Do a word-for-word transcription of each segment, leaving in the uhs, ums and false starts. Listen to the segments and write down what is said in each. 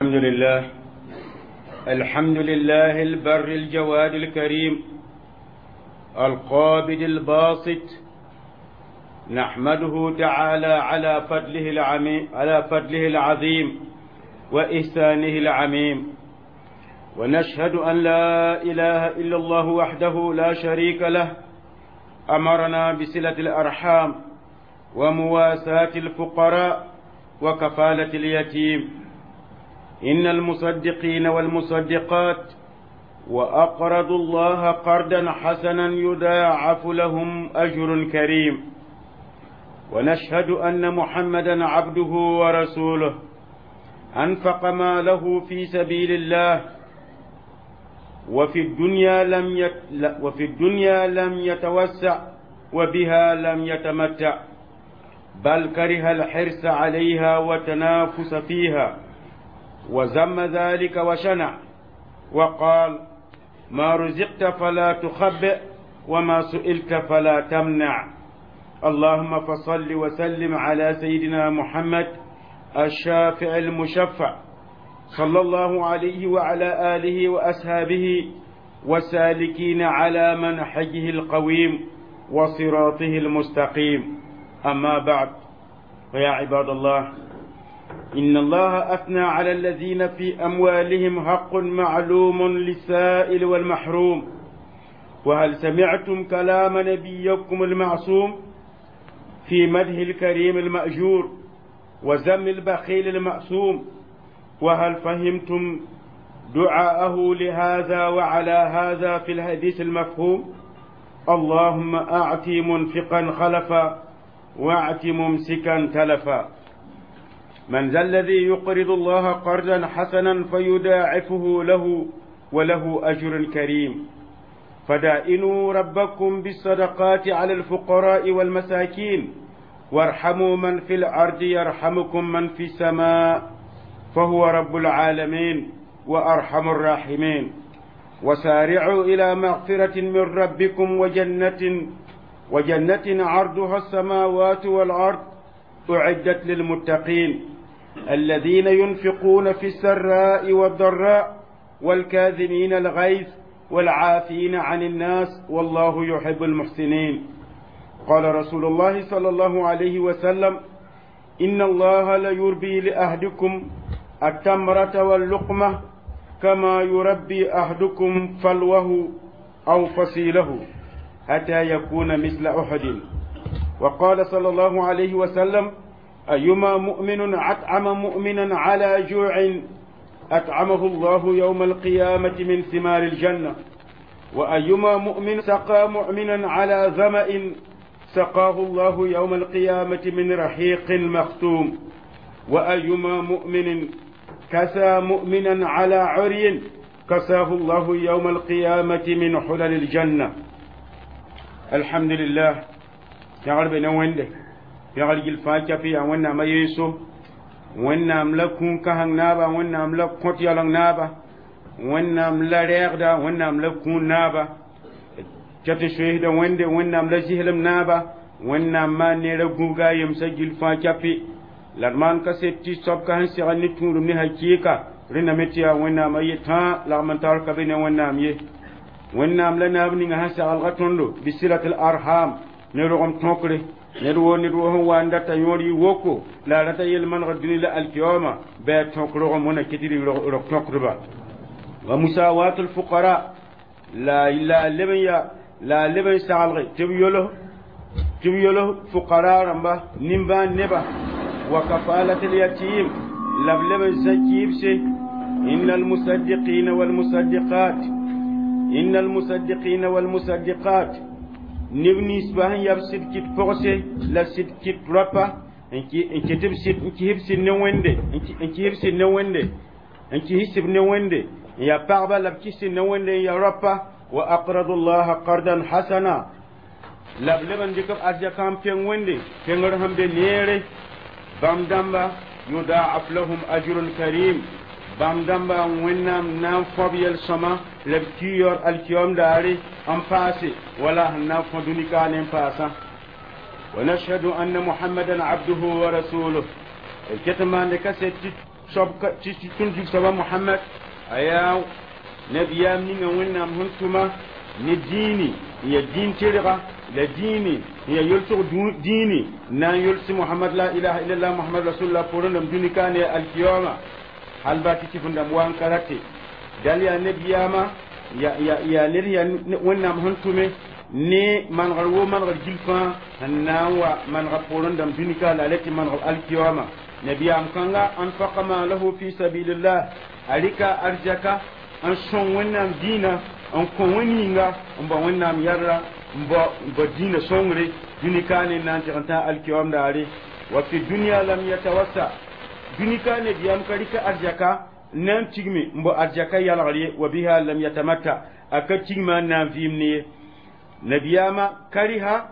الحمد لله الحمد لله البر الجواد الكريم القابض الباسط نحمده تعالى على فضله العميم على فضله العظيم وإحسانه العميم ونشهد أن لا إله إلا الله وحده لا شريك له أمرنا بصلة الأرحام ومواساة الفقراء وكفالة اليتيم إن المصدقين والمصدقات وأقرضوا الله قرضا حسنا يضاعف لهم أجر كريم ونشهد أن محمدا عبده ورسوله أنفق ماله في سبيل الله وفي الدنيا لم يت وفي الدنيا لم يتوسع وبها لم يتمتع بل كره الحرص عليها وتنافس فيها وذم ذلك وشنع وقال ما رزقت فلا تخبئ وما سئلت فلا تمنع اللهم فصل وسلم على سيدنا محمد الشافع المشفع صلى الله عليه وعلى آله وأصحابه والسالكين على منحجه القويم وصراطه المستقيم أما بعد فيا عباد الله إن الله أثنى على الذين في أموالهم حق معلوم للسائل والمحروم وهل سمعتم كلام نبيكم المعصوم في مدح الكريم المأجور وذم البخيل المأسوم وهل فهمتم دعاءه لهذا وعلى هذا في الحديث المفهوم اللهم أعط منفقا خلفا واعت ممسكا تلفا من ذا الذي يقرض الله قرضا حسنا فيداعفه له وله أجر كريم فدائنوا ربكم بالصدقات على الفقراء والمساكين وارحموا من في الأرض يرحمكم من في السماء فهو رب العالمين وأرحم الراحمين وسارعوا إلى مغفرة من ربكم وجنة وجنة عرضها السماوات والأرض أعدت للمتقين الذين ينفقون في السراء والضراء والكاذمين الغيظ والعافين عن الناس والله يحب المحسنين قال رسول الله صلى الله عليه وسلم إن الله ليربي لأهدكم التمرة واللقمة كما يربي أحدكم فلوه أو فصيله حتى يكون مثل أحد وقال صلى الله عليه وسلم أيما مؤمن أطعم مؤمنا على جوع أطعمه الله يوم القيامة من ثمار الجنة وأيما مؤمن سقى مؤمنا على ظمأ سقاه الله يوم القيامة من رحيق مختوم وأيما مؤمن كسى مؤمنا على عري كساه الله يوم القيامة من حلل الجنة الحمد لله yãgr be ne wẽnde pɛgr gill fãa capi yaa wẽnnaam a yeeso wẽnnaam la kũun-kãseng naaba wẽnnaam la kõt yaooleng naaba wẽnnaam la rɛɛgda wẽnnaam la kũun naaba tɩ tɩ soeesda wẽnde wẽnnaam la zislem naaba wẽnnaam maan neera gũbga a yemsã gill fãa capi la d maan kaset tɩ soab ka sẽn segl ne tũudum ne hakɩɩka rẽndame tɩ yaa wẽnnaam a ye tãa lagm n tar ka be ne wẽnnaam ye wẽnnaam la naab ninga sẽn sagelga tõndo bisilat l arham ne rogem tõkre ned woo ned woo sẽn wa n data yõor yɩ woko la a rata yel-manegr dũni la alkiyama bɩ a tõk rogem wẽna ket tɩ rog tõkdba wa musawat lfuqara la la leb n ya la leb n saglge tɩ b yols tɩ b yols fuqara rãmba nimbãan neba wa kafalat lyatim la b leb n zã kɩɩbse inna almusaddiqina walmusaddiqat inna almusaddiqina walmusaddiqat neb ninsba sẽn yab sɩd kɩt pogse la sɩd kɩt rapa n ket b sɩd n kis b sɩd ne wẽnde n kis b sɩd ne wẽnde n kis sɩb ne wẽnde n yaa pagba la b kis sɩd ne wẽnde n yaa rapa wa aqradu llaha qardan hasana la b leb n dɩk b arzɛkãam peng wẽnde pengr sẽn be neere bãmb dãmba yudaaf lahum ajrun karim bãmb dãmba wẽnnaam na n fõb yel-sõma la b kiyoor alkiyom daare n paase wala sẽn na n fõ dũni kaane n paasã ونشهد أن محمدا عبده ورسوله الكتمان لكسيت soab tõnd zug soaba Mohamad a yaa nabiyaam ninga Wẽnnaam sẽn tʋma ne dĩini n ya dĩin tɩrga la dĩini n ya yolsg dĩini n na n yolsi Mohamad la ilaha illallah Mohamad rasulullah poorẽ dãmb dũni ka ne alkiyama hal ba tɩ tɩf n dãmb wa n ka rate dal yaa nabiyaama yaa ned yaa Wẽnnaam sẽn tʋme ne manegr wo manegr gil fãa sẽn na n wa manega poorẽ dãmb dũni ka la a le tɩ maneg alkiyama. Nabiyaam kãnga anfaqa maalahu fi sabilillah, a rɩka arzaka n sõng Wẽnnaam dĩinã, n kõ wẽn-yĩnga, n bao Wẽnnaam yɛrra, n bao dĩinã sõngre dũni ka ne n na n tɩg n tã alkiyam daare. Wa fi dunya lam yatawassa, dũni ka nabiyaam ka rɩka arzaka n na n tigme n bao arzaka yalgr ye. Wa biha lam yatamatta, a ka tigma n na n vɩɩm ne ye. Nabiyaama kariha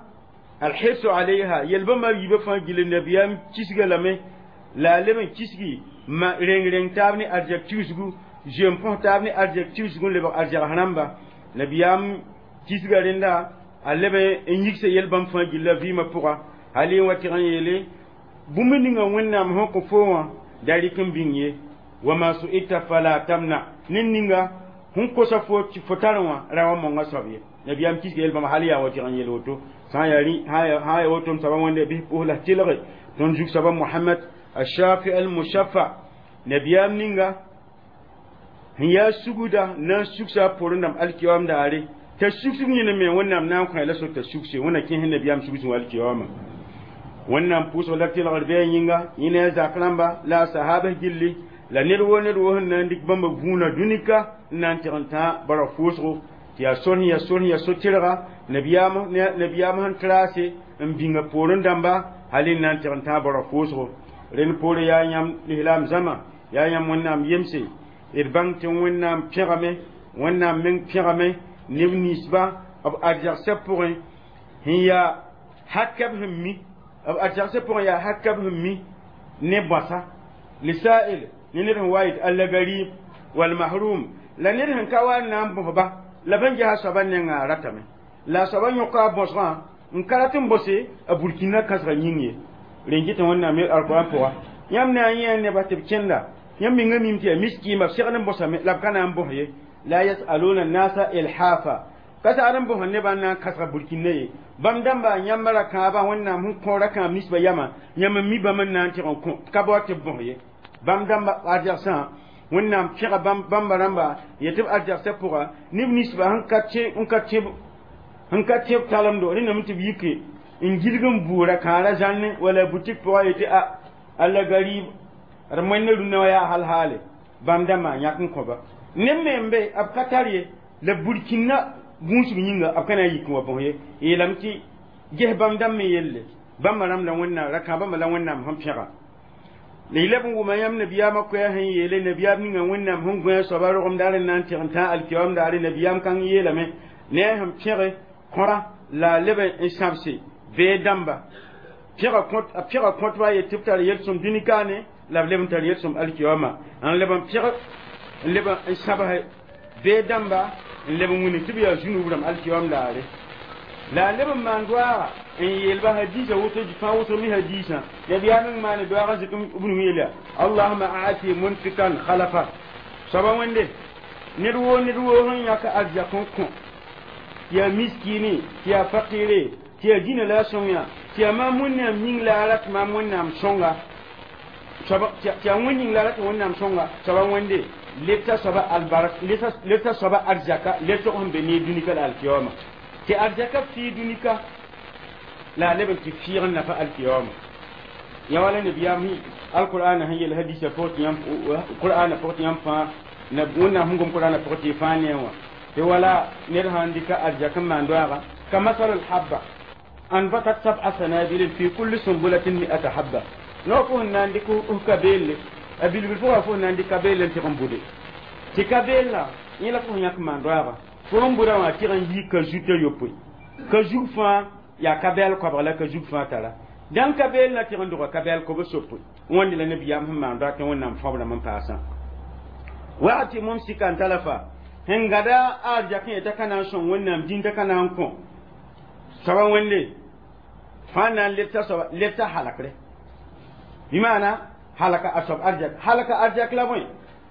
alhirsu alayha, yel-bãmba yiibã fãa gilli nabiyaam kisga lame la a leb n kisgi ma reng reng taab ne arzɛk tigsgu, zoem põs taab ne arzɛk tigsgu n lebg arzɛgs rãmba. Nabiyaam kisga rẽnda a leb n yigsa yel-bãmb fãa gilla vɩɩmã pʋga hal n wa tɩg n yeele bũmb ninga Wẽnnaam sẽn kõ fo wã da rɩk n bĩng ye. Wama su'ilta fala tamna, ned ninga sẽn kosa fo tɩ fo tar wã ra wa monga soab ye. Nabiyaam kisga yel-bãmb hal yaa wa tɩg n yeel woto sã n yaa woto m soaba wẽnde bɩs pʋs la tɩlge tõnd zug soaba Mohamad الشافع المشفع. Nabiyaam ninga sẽn yaa sugda na n sugsa a poorẽ dãmb alkiyoam daare t'a sugsg yẽne me Wẽnnaam na n kõ la so t'a sugse. Wẽnna kẽes nabiyaam sugsẽ alkiyoama. Wẽnnaam pʋʋsg la tɩlgr bɩ a yĩnga yẽ ne a zak rãmba la a sahabs gilli la ned woo ned woo sẽn na n dɩk bãmba vũuna dũnika n na n tɩg n tã bara fʋʋsgo tɩ yaa sor sẽn yaa sor sẽn yaa so-tɩrga nabiyaam sẽn traase n bĩnga poorẽ dãmba hal n na n tɩg n tã bara fʋʋsgo. Rẽnd poore yaa yãmb lislaam zãma, yaa yãmb Wẽnnaam yemse, d bãng tɩ Wẽnnaam pẽgame, Wẽnnaam meng pẽgame neb ninsba b arzagsã pʋgẽ sẽn yaa hakab sẽn mi b arzagsã pʋgẽ yaa hakab sẽn mi ne bõasa lisail ne ned sẽn wa yet allagarib walmahrum la ned sẽn ka wa n na n bõsba la bãn gesa soaba nengã ratame la soaba yõka a bõsgã n ka rat n bõse a burkina kãsga yĩng ye. Rẽn kɩ tɩ Wẽnnaam yel alquran pʋga yãmb na n yẽ nebã tɩ b kẽnda yãmb minga mim tɩ yaa miskiima b segd n bõsame la b ka na n bõs ye. La yasaluna nasa ilhafa, ka sagd n bõs nebã n na n kãsga burkina ye. Bãmb dãmba yãmba ra kãabã Wẽnnaam sẽn kõ ra kãab ninsbã yamã yãmb n mi bãmb n na n tɩg n kõ ka bao tɩ b bõs ye. Bãmb dãmba arzagsã Wẽnnaam pẽga bãmba rãmba yetɩ b arzagsã pʋga neb ninsbã sẽn ka tẽb sẽn ka tẽb talemdo rẽndame tɩ b yike n gilg n buura kãara zãnne wala butik pʋga yetɩ a alla garib d moẽnda rũnnã wã yaa hal haale bãmb dãmbã yãk n kõba neb me n be b ka tar ye la burkina gũusg yĩnga b ka na n yik n wa bõs ye. Yeelame tɩ ges bãmb dãmb me yelle bãmba rãmb la Wẽnnaam ra kãabãmba la Wẽnnaam sẽn pẽga la y leb n wʋma yãmb nabiyaamã koɛɛ sẽn yeele nabiyaam ninga Wẽnnaam sẽn gõe a soaba rogem daar n na n tɩg n tã alkiyoam daare. Nabiyaam kãng yeelame ne a sẽn pẽge kõra la a leb n sãbse bee dãmba pẽga a pẽga kõtba yet tɩ b tar yel-sõm dũni kaane la b leb n tar yel-sõm alkiyoama n leb n pẽg n leb n sãbs bee dãmba n leb n wĩnig tɩ b yaa zũnub rãmb alkiyoam daare la a leb n maan doaaga n yeelba hadiisa woto fãa wʋsg me hadiisã nabiyaam meng maane doaag n zɩk b nu yeel yaa allahuma aati munfikan khalafa. Soaba wẽnde ned woo ned woo sẽn yãk arzak n kõ tɩ yaa miskine, tɩ yaa fakire, tɩ yaa dĩnã la a sõng yã, tɩ yaa maam Wẽnnaam yĩng la a rat maam Wẽnnaam sõnga, tɩ yaa wẽn yĩng la a rat Wẽnnaam sõnga. Soaba wẽnde lebta soaba albarak, lebta soaba arzaka lebsg sẽn be ne dũnika la alkiyama tɩ arzaka fɩɩ dũnika la a leb n tɩ fɩɩg n nafa alkiyama yã wala nabiyaam alqur'ana sẽn yel hadisa pʋg tɩ yãmb qur'ana pʋg tɩ yãmb fãa Wẽnnaam sẽn gom qur'ana pʋgẽ tɩ fãa ne wã tɩ wala ned sãn dɩka arzak n maan doaaga ka masal lhabba anbatat sab'a sanabil fi kulli sumbulatin mi'ata habba no fo sẽn na n dɩk f ka beelle a bilbil pʋga fo sẽn na n dɩk ka beelle n tɩg n bude tɩ ka beella yẽ la fo sẽn yãk n maan doaaga fo n buda wã tɩg n yi ka zuta yopoe ka zug fãa yaa ka bɛɛl koabg la ka zug fãa tara dãn ka beel na tɩg n dʋga ka bɛɛl kob sopoe wãnde la nabiyaam sẽn maan doag tɩ Wẽnnaam fãbrãmb n paasã waati mumsikan talafa sẽn gada a arzakẽ yeta ka na n sõng Wẽnnaam dĩn t'a ka na n kõ soaba wẽnde fãa na n lebta soaba lebta halakre bɩ maana Halaka a soab arzɛk, halaka arzɛk la bõe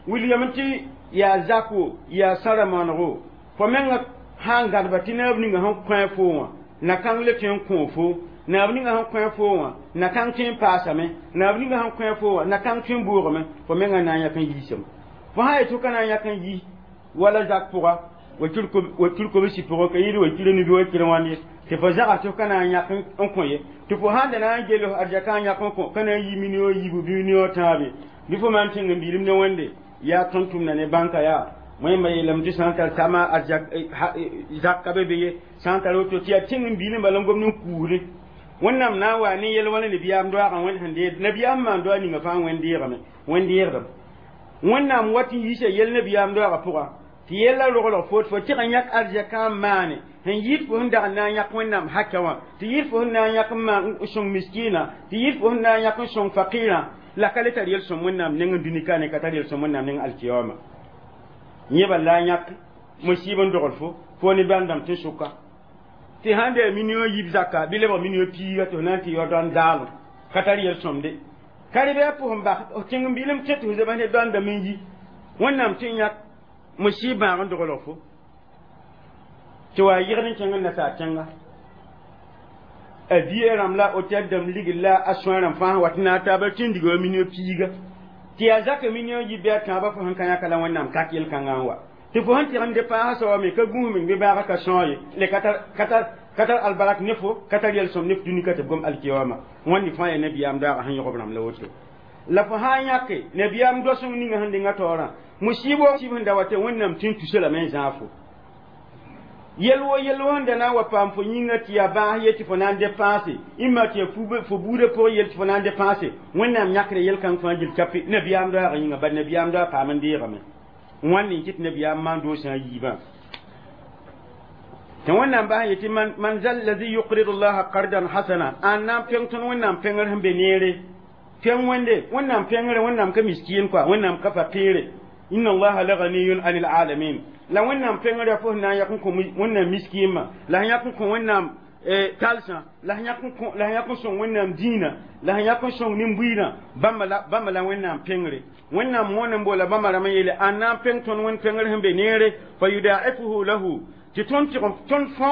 wilgame tɩ yaa zak wo, yaa sãra maanego fo menga sã n gãdba tɩ naab ninga sẽn kõ fo wã na-kãng le tõe n kõ fo, naab ninga sẽn kõ fo wã na-kãng tõe n paasame, naab ninga sẽn kõ fo wã na-kãng tõe n boogame, fo menga na n yãk n yiisame. Fo sã n yet tɩ ka na n yãk n yi wala zak pʋga, wakir kobsi pʋgã ka yɩɩd wakir nibi wakir wãnd ye, tɩ fo zags tɩ f ka na n yãk n kõ ye, tɩ fo sãn da na n gel arzɛkã n yãk n kõ, ka na n yi million yiibu bɩ million tãabe, bɩ fo maan tẽng n biilem ne Wẽnde yaa tõnd tʋmda ne bãnka yaa wẽmba yeelame tɩ sã n tar sama zak ka be be ye, sã n tar woto tɩ yaa tẽng n biilem bala n gomd n kuusde. Wẽnnaam na n wa ne yɛl wala nabiyaam doaagã Wẽnd sẽn deed nabiyaam maan doa ninga fãa Wẽnd deegame, Wẽnd deegdame. Wẽnnaam wat n yiisa yɛl nabiyaam doaagã pʋga tɩ yɛlla roglg fo tɩ fo tɩg n yãk arzɛkã n maane sẽn yɩɩd fo sẽn dag n na n yãk Wẽnnaam haka wã, tɩ yɩɩd fo sẽn na n yãk n maan n sõng miskiinã, tɩ yɩɩd fo sẽn na n yãk n sõng fakɩɩrã, la ka le tar yel-sõm Wẽnnaam neng n dũni ka ne ka tar yel-sõm Wẽnnaam neng alkiyama. Yẽ bala la yãk musiib n dogl fo fo ne bãmb tɩ sʋka tɩ sãn da million yiib zaka bɩ lebg million piiga tɩ f na n tɩ yao dõan zaalem ka tar yel-sõmde ka rɩ bɩ a pʋsẽn bas tẽng n biilem kẽ tɩ f zebs ne dõandame n yi Wẽnnaam tɩ yãk musiib bãag n doglg fo tɩ wa yɩgd n kẽng n nasaar tẽnga a bia rãmb la hôtel dãmb ligl la a sõa rãmb fãa wat n na taaba tɩ n diga wa million piiga tɩ yaa zaka million yib bɩ a tãabã fo sẽn ka yãka la Wẽnnaam kak yel-kãngã n wa tɩ fo sẽn tɩg n depaasa soaba me ka gũus meng bɩ bãaga ka sõog ye le ka tar albarak ne fo, ka tar yel-sõm ne f dũni ka tɩ b gom alkiyama. Wãnd fãa yaa nabiyaam daagã sẽn yõgb rãmb la woto la fo sã n yãke nabiyaam doasẽng ninga sẽn denga taoorã musiibo sib sẽn da wa tɩ Wẽnnaam tɩ n tusa lame n zãag fo yel wo yel wo sẽn da na n wa paam fo yĩnga tɩ yaa bãas ye tɩ fo na n depãase ĩmma tɩ yaa fo buudã pʋgẽ yel tɩ fo na n depãase, Wẽnnaam yãkra yel-kãng fãa gil kape nabiyaam daagã yĩnga bad nabiyaam daag paam n deegame. Wãnd n kɩt nabiyaam maan doosã yiibã tɩ Wẽnnaam bas n yetɩ man zal lazi yuqridu llaha qardan hasana an na n pẽng tõnd Wẽnnaam pẽngr sẽn be neere pẽng Wẽnde Wẽnnaam pẽngre Wẽnnaam ka miskiin koa Wẽnnaam ka faqiire inna allaha la ghaniyun anil alamin la Wẽnnaam pẽngr yaa fo sẽn na n yãk n kõ Wẽnnaam miskiimã la sẽn yãk n kõ Wẽnnaam talsã la sẽn yãk n kõ la sẽn yãk n sõng Wẽnnaam dĩinã la sẽn yãk n sõng nin-buiidã bãmba la bãmba la Wẽnnaam pẽngre. Wẽnnaam moon n boola bãmba rãmb n yeele an na n pẽng tõnd Wẽnd pẽngr sẽn be neere fa yudaifuhu lahu tɩ tõnd tɩg tõnd fõ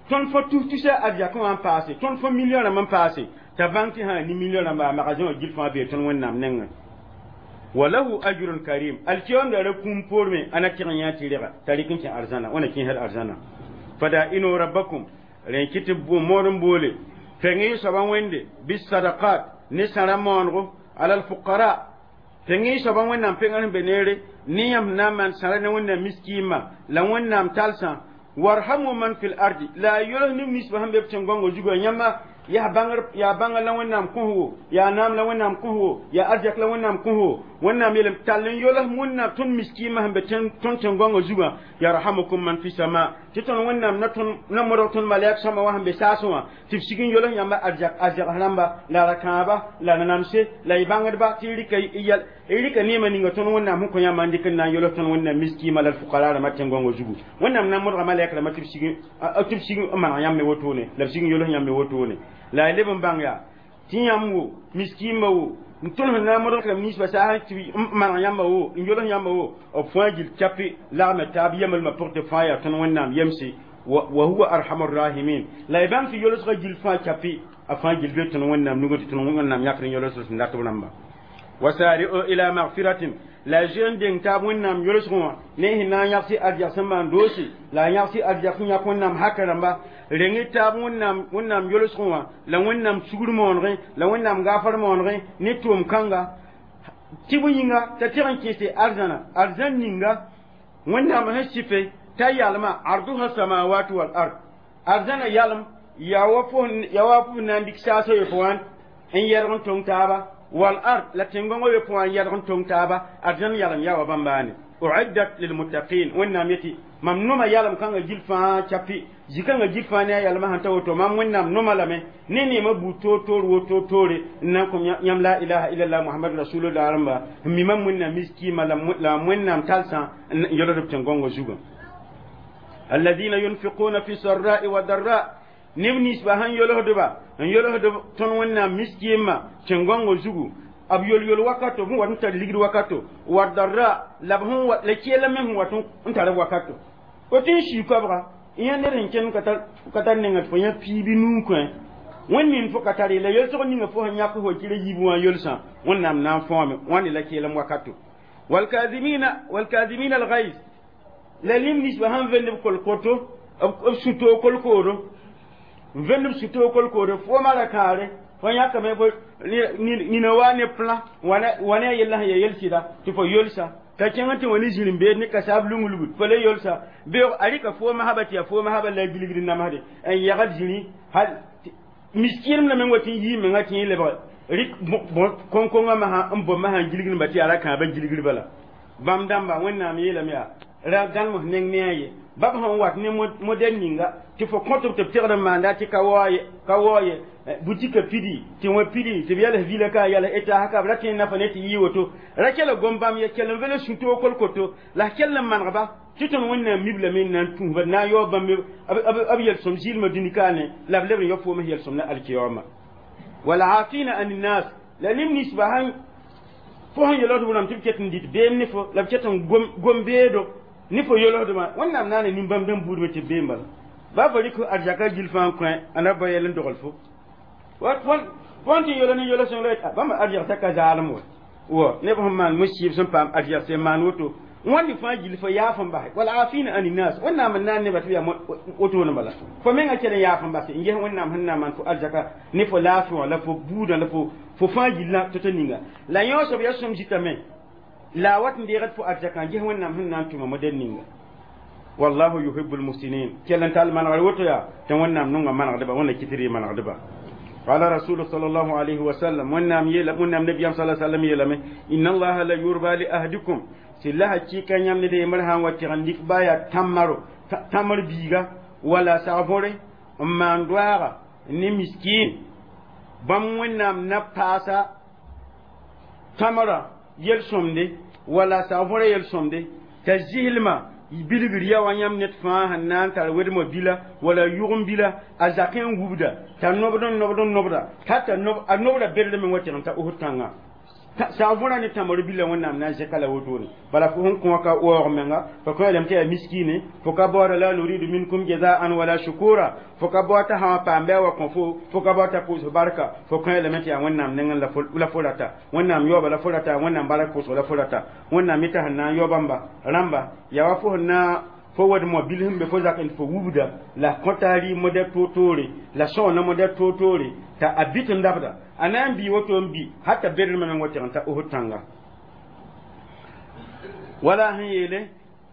tõnd fõ tus-tusa arzɛkẽ wã n paase tõnd fõ million rãmb n paase t'a bãng tɩ sã ni million rãmba a magazẽ wã gil fãa bee tõnd Wẽnnaam nengẽ wa lahu ajrun karim alkiyam da ra kũum poorme a na tɩg n yã tɩ rega t'a rɩk n kẽ arzãna wãna kẽesd arzãna fada ino rabbakum rẽn kɩ tɩ mood n boole pẽng soabã Wẽnde bisadakat ne sãra maanego ala alfuqara pẽng soabã Wẽnnaam pẽngr sẽn be neere ne yãmb na n maan sãra ne Wẽnnaam miskiimã la Wẽnnaam talsã warhamu man fil ardi la yols neb ninsbã sẽn be b tẽn-gõngã zugã yãmba yaa bãngr yaa bãnga la Wẽnnaam kõsgo yaa naam la Wẽnnaam kõsgo yaa arzɛk la Wẽnnaam kõsgo Wẽnnaam yeelame tall n yols Wẽnnaam tõnd miskiimã sẽn be tõnd tẽn-gõngã zugã yarhamukum man fi sama tɩ tõnd Wẽnnaam na tõnd na modg tõnd malɛk sõma wã sẽn be saasẽ wã tɩ b sig n yols yãmba arzɛk arzɛgs rãmba la ra-kãaba la nanamse la y bãngdba tɩ y rɩka yɛl y rɩka neemã ninga tõnd Wẽnnaam sẽn kõ yãmba n dɩk n na n yols tõnd Wẽnnaam miskiimã la d fʋkara rãmbã tẽn-gõngã zugu Wẽnnaam na n modga malɛk rãmbã tɩ b sig tɩ b sig n maneg yãmb me wotone la b sig n yols yãmb me wotone la y leb n bãng yaa tɩ yãmb wo miskiimã wo n tõnd sẽn na n modg rãmb ninsbã saas tɩ n maneg yãmba wo n yols yãmba wo b fãa gil kape lagme taab yemelmã pʋg tɩ fãa yaa tõnd Wẽnnaam yemse wa huwa arhamu rahimin la y bãng tɩ yolsgã gil fãa kape a fãa gil be tõnd Wẽnnaam nugẽ tɩ tõnd Wẽnnaam yãkr n yols sẽn dat b rãmba wasari'u ila magfiratin la zoe n deng taab Wẽnnaam yolsgẽ wã ne sẽn na n yãgs arzɛk sẽn maan doose la a yãgs arzɛk sẽn yãk Wẽnnaam haka rãmba reng taab Wẽnnaam Wẽnnaam yolsgẽ wã la Wẽnnaam sugr moonegẽ la Wẽnnaam gaafar moonegẽ ne tʋʋm kãnga tɩ bõe yĩnga t'a tɩg n kẽese arzãna arzãn ninga Wẽnnaam sẽn sɩfe t'a yalma arduha samawat wal ard arzãna yalem yaa wa fo f na n dɩk saasã yopo wã n yɛlg n tõng taaba wal ard la tẽn-gõngã yopo wã n yɛlg n tõng taaba arzãn yalem yaa wa bãmbaane uiddat lilmuttaqin Wẽnnaam yetɩ mam noma yalem kãngã gil fãa capi zĩ-kãngã gil fãa ne a yalmã sẽn ta woto mam Wẽnnaam noma lame ne neemã buud toor-toor woto toore n na n kõ yãmb la ilaha illallah Mohamad rasulullah rãmba n mi mam Wẽnnaam miskiimã la Wẽnnaam talsã n yolsd b tẽn-gõngã zugã alladina yunfiquna fi sarra'i wa darra neb ninsbã sẽn yolsdba n yolsd tõnd Wẽnnaam miskiimã tẽn-gõngã zugu B yol yol wakato b wat n tar ligd wakato wa darra la b sẽn la kɛɛla me sẽn wat n tar wakato fo tɩ n sii koabga yẽ ned sẽn kẽnd ka tar nenga tɩ fo yã piibi nuu kõ wẽnd nin fo ka tare la yelsg ninga fo sẽn yãk fo kɩra yiib wã yolsã Wẽnnaam na n fõome wãnde la keelem wakato. والكاظمين والكاظمين الغيظ la lim nisba sãn vend b kolkoto b sũ-toog kolkoodo n vend b sũ-toog kolkoodo fo mara kãare fo yãkame fo nina wa ne plã wa ne a yella sẽn ya yel-sɩda tɩ fo yolsa t'a kẽng tɩ wã ne zĩr-n-beed ne kasaab lung-lugd fo le yolsa beoog a rɩka fooma saba tɩ yaa fooma saba la a gilgd namsde n yagd zĩri hal miskiinem la meng wa tɩ n yii menga tɩ yẽ lebg rɩk kõn-kongã masã n bom masã n gilgd tɩ yaa ra kãabã gilgd bala bãmb dãmba Wẽnnaam yeelame yaa ra gãlem neng ne a ye bab sẽn wat ne modɛl ninga tɩ fo kõt b tɩ b tegd n maanda tɩ ka wao ye ka wao ye butika pidi tɩ wã pidi tɩ b yals vila ka yals eta ka b ra tõe n nafa ne tɩ yɩ woto ra kell gom bãmb ye kell n vele sũ-toog kolkoto la kell n manegba tɩ tõnd Wẽnnaam miblame n na n tũusba na n yaoog bãmb b yel-sõm zɩɩlmã dũni kaane la b leb n yao foom yel-sõm na alkiyama. والعافين عن الناس la nim nisba sãn fo sẽn yelosd wʋrame tɩ b ket n dɩt beem ne fo la b ket n gom beedo ne fo yelosdmã Wẽnnaam na n nin-bãmb dãmb buudmã tɩ b beem bala ba fo rɩk arzaka gil fãa n kõ a na ba yɛl n dogl fo fõn tɩ yelo ne yelo sõng la bãmb arzɛgsa ka zaalem wa wa neb sẽn maan mo-sɩɩb sẽn paam arzɛg sẽn maan woto wãnd fãa gil fo yaaf n base. والعافين عن الناس Wẽnnaam n na n nebã tɩ b yaa wotone bala fo menga kell n yaaf n base n ges Wẽnnaam sẽn na n maan fo arzaka ne fo laafɩ wã la fo buudã la fo fo fãa gillã to-to ninga la yõ soab yaa sõm zitame la a wat n deegd fo arzakã ges Wẽnnaam sẽn na n tʋma modɛl ninga. والله يحب المحسنين kell n tall manegr woto yaa tɩ Wẽnnaam nonga manegdba Wẽnna kɩtr manegdba. قال رسول صلى الله عليه وسلم Wẽnnaam yeela Wẽnnaam nabiyam صلى الله عليه وسلم yeelame إن الله ليرضى لأحدكم sɩ hakɩɩka yãmb ned yembr sã n wa tɩg n dɩk baa yaa tãmaro tãmr biiga wala sagvore n maan doaaga ne miskin bãmb Wẽnnaam na paasa tãmrã yel-sõmde wala sagvora yel-sõmde t'a zɩslmã bilgr ya wa yãmb ned fãa sẽn na n tar wedmã bila wala yʋgem bila a zakẽ n wubda t'a nobd n nobd n nobda t'a a nobda berdme wa tɩg n ta Osd tãngã sagvõra ne tãmr bila Wẽnnaam na n zẽka la wotone bala fo sẽn kõ ka waoog menga fo kõ lame tɩ yaa miskine fo ka baooda لا نريد منكم جزاء ولا شكورا fo ka bao t'a sã wã paam bɩ a wa kõ fo fo ka bao t'a pʋʋs barka fo kõ lame tɩ yaa Wẽnnaam nengẽ la fo rata Wẽnnaam yaooba la fo rata Wẽnnaam bark pʋʋsg la fo rata Wẽnnaam mita sẽn na n yao bãmba rãmba yaa wa fo sẽn na fo wad-moa bil sẽn be fo zak n fo wubda la kõta rɩ modɛl toor-toore la sõona modɛl toor-toore t'a a bɩt n dabda a na n bii woto n bi hata beremã meng wa tɩg n ta Osd tãnga wala sẽn yeele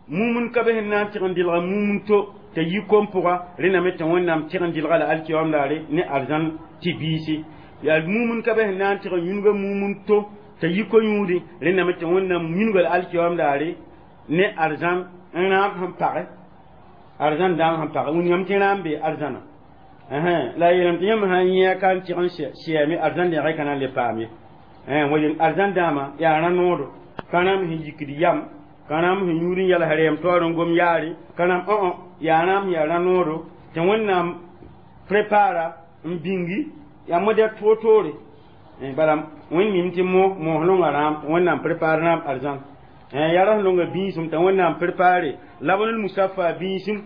mumun ka be sẽn na n tɩg n dɩlga mumun to t'a yi kom pʋga rẽndame tɩ Wẽnnaam tɩg n dɩlga la alkiyam daare ne arzãn tɩ biisi yaa mumun ka be sẽn na n tɩg n yũnga mumun to t'a yi ko-yũudi rẽndame tɩ Wẽnnaam yũnga la alkiyam daare ne arzãn n rãam sẽn page arzãn dãam sẽn page wingame tɩ rãam bee arzãna la yeelame tɩ yãmb sã n yẽ ka n tɩg n sɛame arzãn dẽgã ka na n le paam ye wa arzãn dãamã yaa rã-noodo ka rãam sẽn yikd yam ka rãam sẽn yũud n yals rɛɛm taoor n gom yaare ka rãam õ yaa rãam yaa rã-noodo tɩ Wẽnnaam prépara n bĩngi yaa modɛl toor-toore bala Wẽnd mim tɩ mo moos nonga rãam tɩ Wẽnnaam prépare rãam arzãn yaa ra sẽn nonga bĩisem t'a Wẽnnaam prépare لبن المصفى bĩisem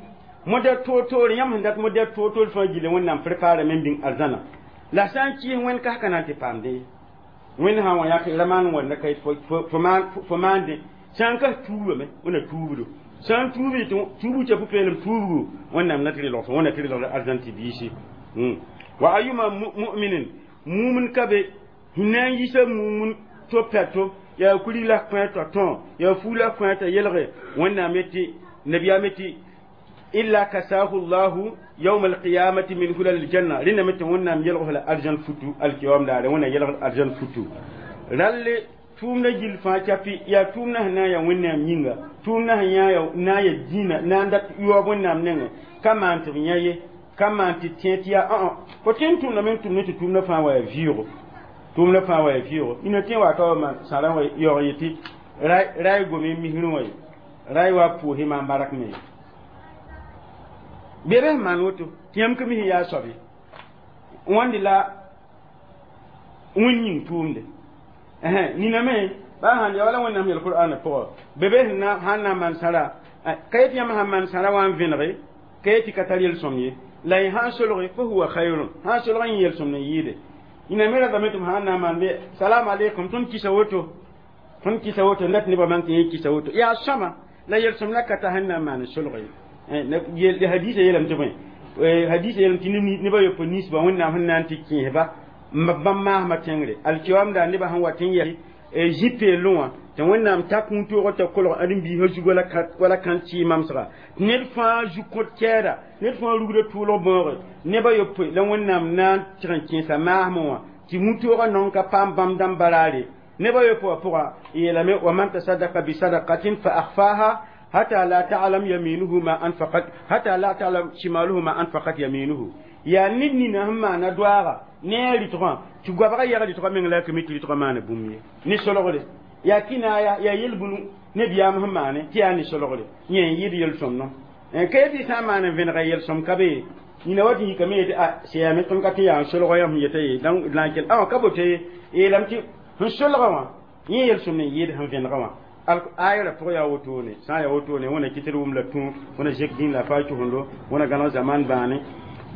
modɛl toor-toore yãmb sẽn dat modɛl toor-toor fãa gilli Wẽnnaam prépare me n bĩng arzãna la sã n kɩɩs wẽnd kas ka na n tɩ paamdẽ Wẽnd sã n wa yãk ra maan wẽnda ka fo maandẽ sã n kas tuubame Wẽnna tuubdo sã n tuubi tɩ tuubg t'a pʋ-peelem tuubgu Wẽnnaam na tɩ relg fo Wẽnna tɩ relgd arzãn tɩ biisi. وأيما مؤمن mumun ka be sẽn na n yisa mumun to pɛto yaa kuri la kõ t'a tõ yaa fuu la kõ t'a yelge Wẽnnaam yetɩ nabiyaam yetɩ إلا كساه الله يوم القيامة من حلل الجنة rẽndame tɩ Wẽnnaam yelg la arzãn futu alkiyam daare Wẽnna yelg arzãn futu ralle tʋʋmda gill fãa capi yaa tʋʋmda sẽn na n yaa Wẽnnaam yĩnga tʋʋmda sẽn yã na n ya dĩinã na n dat yaoog Wẽnnaam nengẽ ka maan tɩ b yã ye ka maan tɩ tẽ tɩ yaa õ fo tõe n tʋmdame n tʋm ne tɩ tʋʋmda fãa wa yaa vɩʋʋgo tʋʋmda fãa wa yaa vɩʋʋgo ina tẽ wa ka wa maan sãrã wa yaoog yetɩ ray gome misrẽ wã ye ray wa pʋʋsɩ maan bark me bɩ b maan woto tɩ yãmb ka mis yaa soab ye wãnde la wẽn yĩng tʋʋmde Nina me ba sãn ya wala Wẽnnaam yel Qur'ana pʋgã bebe sẽn na sãn na n maan sãra ka yet yãmb sãn maan sãra wã n vẽnege ka yet tɩ ka tar yel-sõm ye la y sãn solge فهو خير sãn solg n yel-sõm n yɩɩde ina me ratame tɩ m sãn na n maan be salam aleykum tõnd kisa woto tõnd kisa woto n dat nebã man tɩ yẽ kisa woto yaa sõma la yel-sõm la ka ta sẽn na n maan solg ye hadisa yeelame tɩ bõe hadisa yeelame tɩ nebã yopoe ninsba Wẽnnaam sẽn na n tɩ kẽesba bãmb maasmã tẽngre alkiyomda nebã sẽn wat n yɛs zĩ peelẽ wã tɩ Wẽnnaam tak kũum-toogã t'a kolg ãdem-biisã zug wala kãn-tɩ mamsga ned fãa zug kõt kɛɛda ned fãa rugda tʋʋlg bãooge nebã yopoe la Wẽnnaam na n tɩg n kẽesa maasmẽ wã tɩ wũ-toogã nong ka paam bãmb dãmb baraare nebã yopoe wã pʋga yeelame ومن تصدق بصدقة فأخفاها حتى لا تعلم يمينه ما أنفقت حتى لا تعلم شماله ما أنفقت يمينه yaa ned nina sẽn maana doaaga ne a rɩtgã tɩ goabga yɛg rɩtgã meng la a kame tɩ rɩtgã maana bũmb ye ne solgre yaa kinaaya yaa yel-bũnu nebiyaam sẽn maane tɩ yaa ne solgre yẽ n yɩɩd yel-sõmdõ ka yetɩ sã n maan n vẽnega yel-sõm ka be nina wa tɩ yikame yetɩ a seyame tõnd ka tɩ yaa n solga yãmb sẽn yeta ye la n kell awa ka bote ye yeelame tɩ sẽn solga wã yẽ yel-sõmd n yɩɩd sẽn vẽnega wã ayra pʋgã yaa wotone sã n yaa wotone wẽna kɩ tɩ d wʋm la tũ wẽna zek dĩin la fa tʋsendo wẽna gãneg zaman bãane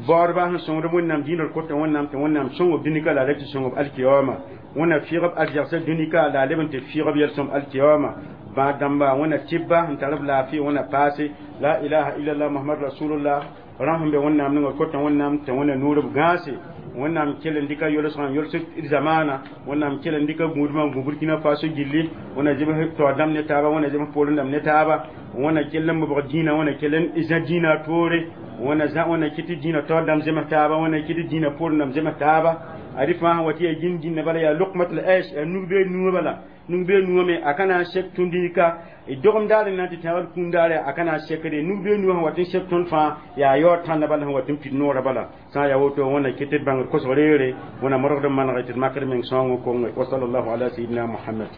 baoodba sẽn sõngd Wẽnnaam dĩinã kota Wẽnnaam tɩ Wẽnnaam sõng b dũnika la a tɩ sõng b alkiyama Wẽnna fɩɩg b arzegsã dũnika la a leb n tɩ fɩɩg b yel-sõm alkiyama bãad dãmba Wẽnna tɩbba n tar b laafɩ Wẽnna paase لا إله إلا الله محمد رسول الله rãmb sẽn be Wẽnnaam ninga kota Wẽnnaam tɩ Wẽnna nuur b gãase Wẽnnaam kell n dɩka yolsgã yols d zamaana Wẽnnaam kell n dɩka gũudmã n gũ Burkina Faso gilli Wẽnna zems taoor dãmb ne taaba Wẽnna zems poorẽ dãmb ne taaba Wẽnna kell n bobg dĩinã Wẽnna kell n zã dĩinã toore Wẽnna zã Wẽnna kɩt tɩ dĩinã taoor dãmb zems taaba Wẽnna kɩt tɩ dĩinã poorẽ dãmb zems taaba adi fãa sẽn wa tɩ yaa gĩnd dĩnã bala yaa لقمة العيش yaa nug-beed nuwã bala nug-beed nuwã me a ka na n sek tũndika dogem daar n na n tɩ tẽebd kũum daare a ka na n sekde nug-beed nuwã sẽn wat n sek tõnd fãa yaa yaood tãnda bala sẽn wat n pid noorã bala sã n yaa woto Wẽnna kɩt tɩ d bãngd kosg reere Wẽnna modgd n manege tɩ d makd meng sõng konge وصلى الله على سيدنا محمد.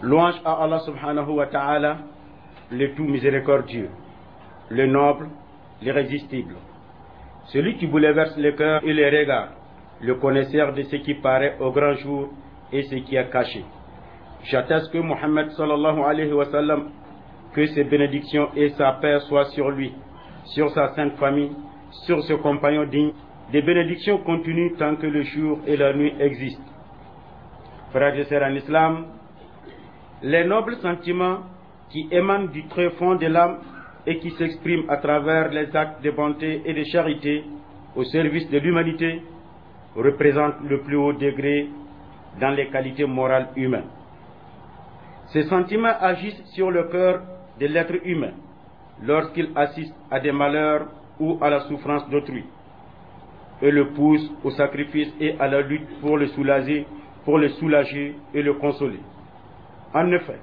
Louange à Allah سبحانه وتعالى, le tout miséricordieux, le noble, l'irrésistible. Celui qui bouleverse le cœur et les regards, le connaisseur de ce qui paraît au grand jour et ce qui est caché. J'atteste que Mohammed صلى الله عليه وسلم, que ses bénédictions et sa paix soient sur lui, sur sa sainte famille, sur ses compagnons dignes, des bénédictions continues tant que le jour et la nuit existent. Frères et sœurs en islam, les nobles sentiments qui émanent du très fond de l'âme et qui s'expriment à travers les actes de bonté et de charité au service de l'humanité représentent le plus haut degré dans les qualités morales humaines. Ces sentiments agissent sur le cœur de l'être humain lorsqu'il assiste à des malheurs ou à la souffrance d'autrui et le poussent au sacrifice et à la lutte pour le soulager, pour le soulager et le consoler. En effet,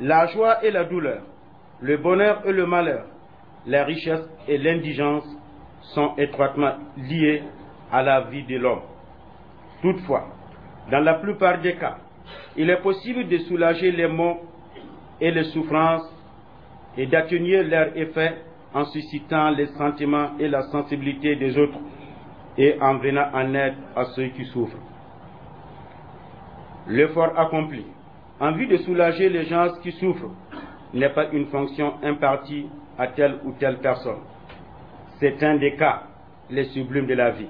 la joie et la douleur, le bonheur et le malheur, la richesse et l'indigence sont étroitement liés à la vie de l'homme. Toutefois, dans la plupart des cas, il est possible de soulager les maux et les souffrances et d'atténuer leur effet en suscitant les sentiments et la sensibilité des autres et en venant en aide à ceux qui souffrent. L'effort accompli en vue de soulager les gens qui souffrent n'est pas une fonction impartie à telle ou telle personne. C'est un des cas les sublimes de la vie.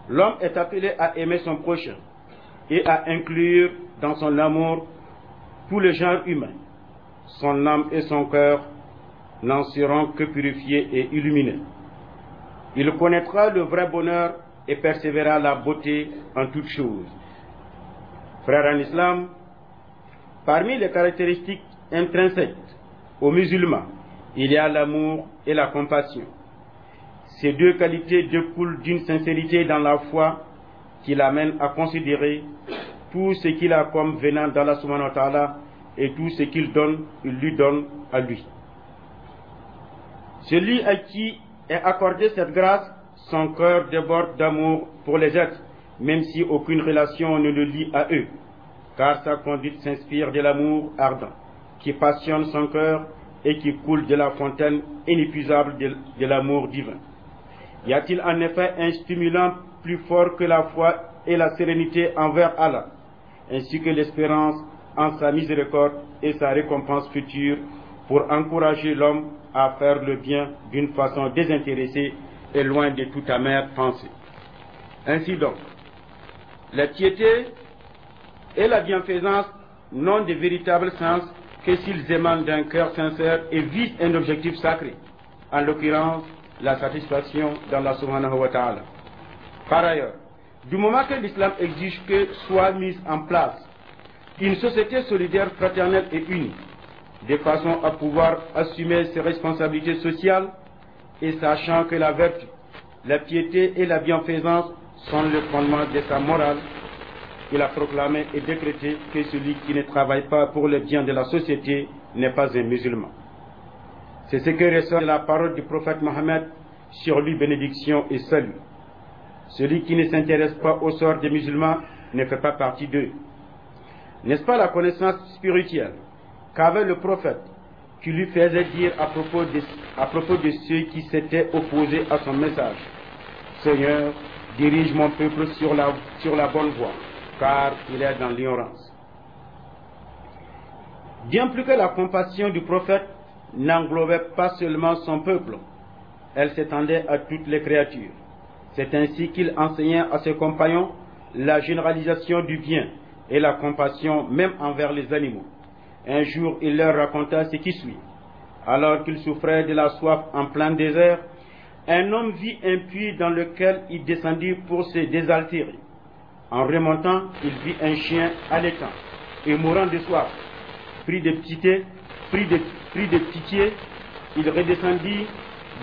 L'homme est appelé à aimer son prochain et à inclure dans son amour tout le genre humain. Son âme et son cœur n'en seront que purifiés et illuminés. Il connaîtra le vrai bonheur et percevra la beauté en toutes choses. Frères en islam, parmi les caractéristiques intrinsèques aux musulmans, il y a l'amour et la compassion. Ces deux qualités découlent d'une sincérité dans la foi qui l'amène à considérer tout ce qu'il a comme venant d'Allah سبحانه وتعالى et tout ce qu'il donne, il lui donne à lui. Celui à qui est accordé cette grâce, son cœur déborde d'amour pour les êtres, même si aucune relation ne le lie à eux, car sa conduite s'inspire de l'amour ardent qui passionne son cœur et qui coule de la fontaine inépuisable de, de l'amour divin. Y a-t-il en effet un stimulant plus fort que la foi et la sérénité envers Allah? ainsi que l'espérance en sa miséricorde et sa récompense future pour encourager l'homme à faire le bien d'une façon désintéressée et loin de toute amère pensée. Ainsi donc, la piété et la bienfaisance n'ont de véritable sens que s'ils émanent d'un cœur sincère et visent un objectif sacré, en l'occurrence la satisfaction d'Allah سبحانه وتعالى. Par ailleurs, du moment que l'islam exige que soit mise en place une société solidaire, fraternelle et unie, de façon à pouvoir assumer ses responsabilités sociales et sachant que la vertu, la piété et la bienfaisance sont le fondement de sa morale, il a proclamé et décrété que celui qui ne travaille pas pour le bien de la société n'est pas un musulman. C'est ce que ressort de la parole du prophète Mohammed, sur lui bénédiction et salut. Celui qui ne s'intéresse pas au sort des musulmans ne fait pas partie d'eux. N'est-ce pas la connaissance spirituelle qu'avait le prophète qui lui faisait dire à propos de, à propos de ceux qui s'étaient opposés à son message: Seigneur, dirige mon peuple sur la, sur la bonne voie, car il est dans l'ignorance. Bien plus que la compassion du prophète n'englobait pas seulement son peuple, elle s'étendait à toutes les créatures. C'est ainsi qu'il enseignait à ses compagnons la généralisation du bien et la compassion même envers les animaux. Un jour, il leur raconta ce qui suit. Alors qu'il souffrait de la soif en plein désert, un homme vit un puits dans lequel il descendit pour se désaltérer. En remontant, il vit un chien haletant et mourant de soif. Pris de pitié, pris de, pris de pitié, il redescendit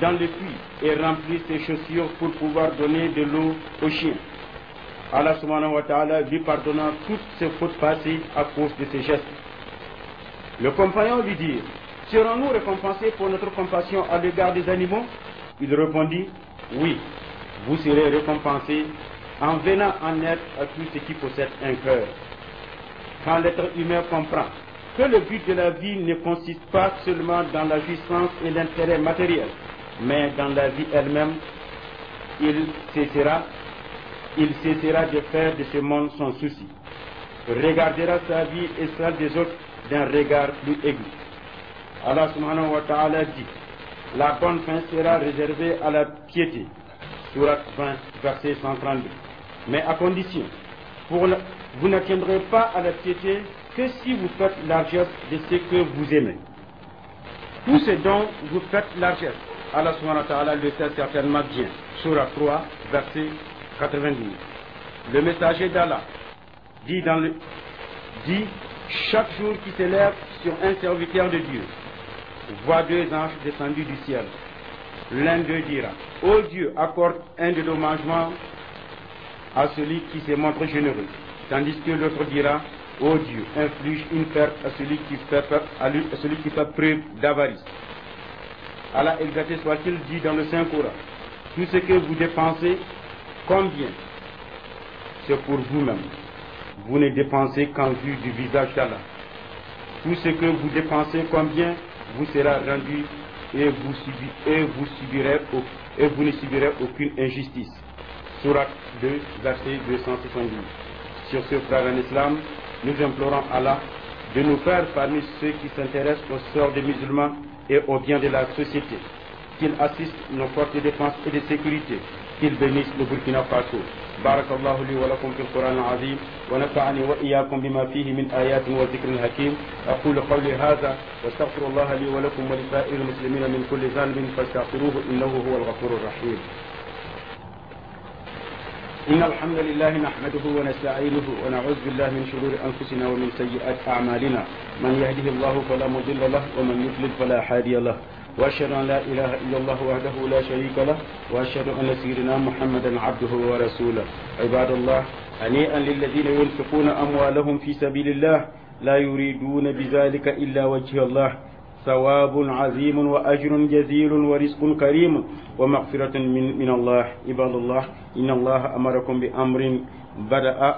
dans le puits et remplit ses chaussures pour pouvoir donner de l'eau au chien. Allah سبحانه وتعالى lui pardonna toutes ses fautes passées à cause de ses gestes. Le compagnon lui dit: Serons-nous récompensés pour notre compassion à l'égard des animaux? Il répondit: Oui, vous serez récompensés en venant en aide à tout ce qui possède un cœur. Quand l'être humain comprend que le but de la vie ne consiste pas seulement dans la jouissance et l'intérêt matériel, mais dans la vie elle-même, il cessera, il cessera de faire de ce monde son souci. Regardera sa vie et celle des autres d'un regard plus aigu. Allah سبحانه وتعالى dit: La bonne fin sera réservée à la piété. Sourate vingt, verset cent trente-deux. Mais à condition, pour la, vous n'atteindrez pas à la piété que si vous faites largesse de ce que vous aimez. Tout ce dont vous faites largesse, Allah سبحانه وتعالى le sait certainement bien. Sourate trois, verset quatre-vingt-douze. Le messager d'Allah dit, dans le, dit: Chaque jour qui s'élève sur un serviteur de Dieu voit deux anges descendus du ciel. L'un d'eux dira: Ô Dieu, accorde un dédommagement à celui qui s'est montré généreux. Tandis que l'autre dira: Ô Dieu, inflige une perte à celui qui fait, à lui, à celui qui fait preuve d'avarice. Allah exalté soit-il dit dans le Saint Coran: Tout ce que vous dépensez, combien, c'est pour vous-même. Vous ne dépensez qu'en vue du visage d'Allah. Tout ce que vous dépensez, combien, vous sera rendu et vous, subi, et vous, subirez, et vous ne subirez aucune injustice. Sourate deux, verset deux cent soixante-dix. Sur ce, frère en islam, nous implorons Allah de nous faire parmi ceux qui s'intéressent au sort des musulmans et au bien de la société, qu'il assiste nos forces de défense et de sécurité, qu'il bénisse le Burkina Faso. بارك الله لي ولكم في القرآن العظيم ونفعني وإياكم بما فيه من آيات وذكر حكيم. أقول قولي هذا واستغفر الله لي ولكم ولسائر المسلمين من كل ذنب فاستغفروه إنه هو الغفور الرحيم. إن الحمد لله نحمده ونستعينه ونعوذ بالله من شرور أنفسنا ومن سيئات أعمالنا. من يهده الله فلا مضل له ومن يضلل فلا هادي له. وأشهد أن لا إله إلا الله وحده لا شريك له وأشهد أن سيدنا محمدا عبده ورسوله. عباد الله، هنيئا للذين ينفقون أموالهم في سبيل الله لا يريدون بذلك إلا وجه الله، ثواب عظيم وأجر جزيل ورزق كريم ومغفرة من, من الله. عباد الله، إن الله أمركم بأمر بدأ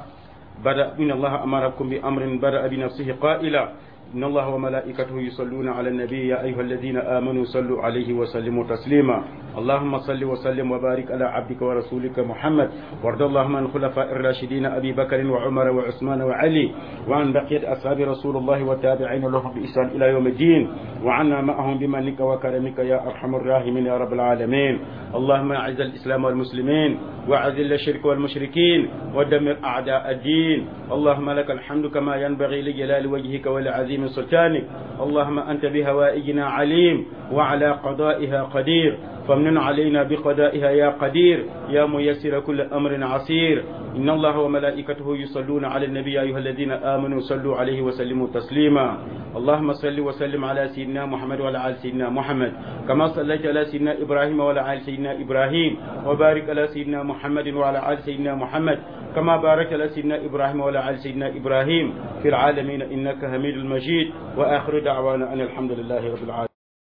بدأ إن الله أمركم بأمر بدأ بنفسه قائلا: إن الله وملائكته يصلون على النبي يا أيها الذين آمنوا صلوا عليه وسلموا تسليما. اللهم صل وسلم وبارك على عبدك ورسولك محمد، وارض اللهم عن خلفاء الراشدين أبي بكر وعمر وعثمان وعلي، وعن بقية أصحاب رسول الله والتابعين لهم بإحسان إلى يوم الدين، وعنا معهم بمنك وكرمك يا أرحم الراحمين يا رب العالمين. اللهم أعز الإسلام والمسلمين، وأذل الشرك والمشركين، ودمر أعداء الدين. اللهم لك الحمد كما ينبغي لجلال وجهك ولعظيم سلطانك. اللهم أنت بحوائجنا عليم وعلى قضائها قدير، فامنن علينا بقضائها يا قدير يا ميسر كل أمر عسير. إن الله وملائكته يصلون على النبي يا أيها الذين آمنوا صلوا عليه وسلموا تسليما. اللهم صل وسلم على سيدنا محمد وعلى آل سيدنا محمد كما صليت على سيدنا إبراهيم وعلى آل سيدنا إبراهيم، وبارك على سيدنا محمد وعلى آل سيدنا محمد كما باركت على سيدنا إبراهيم وعلى آل سيدنا إبراهيم في العالمين إنك حميد مجيد. وآخر دعوانا أن الحمد لله رب العالمين.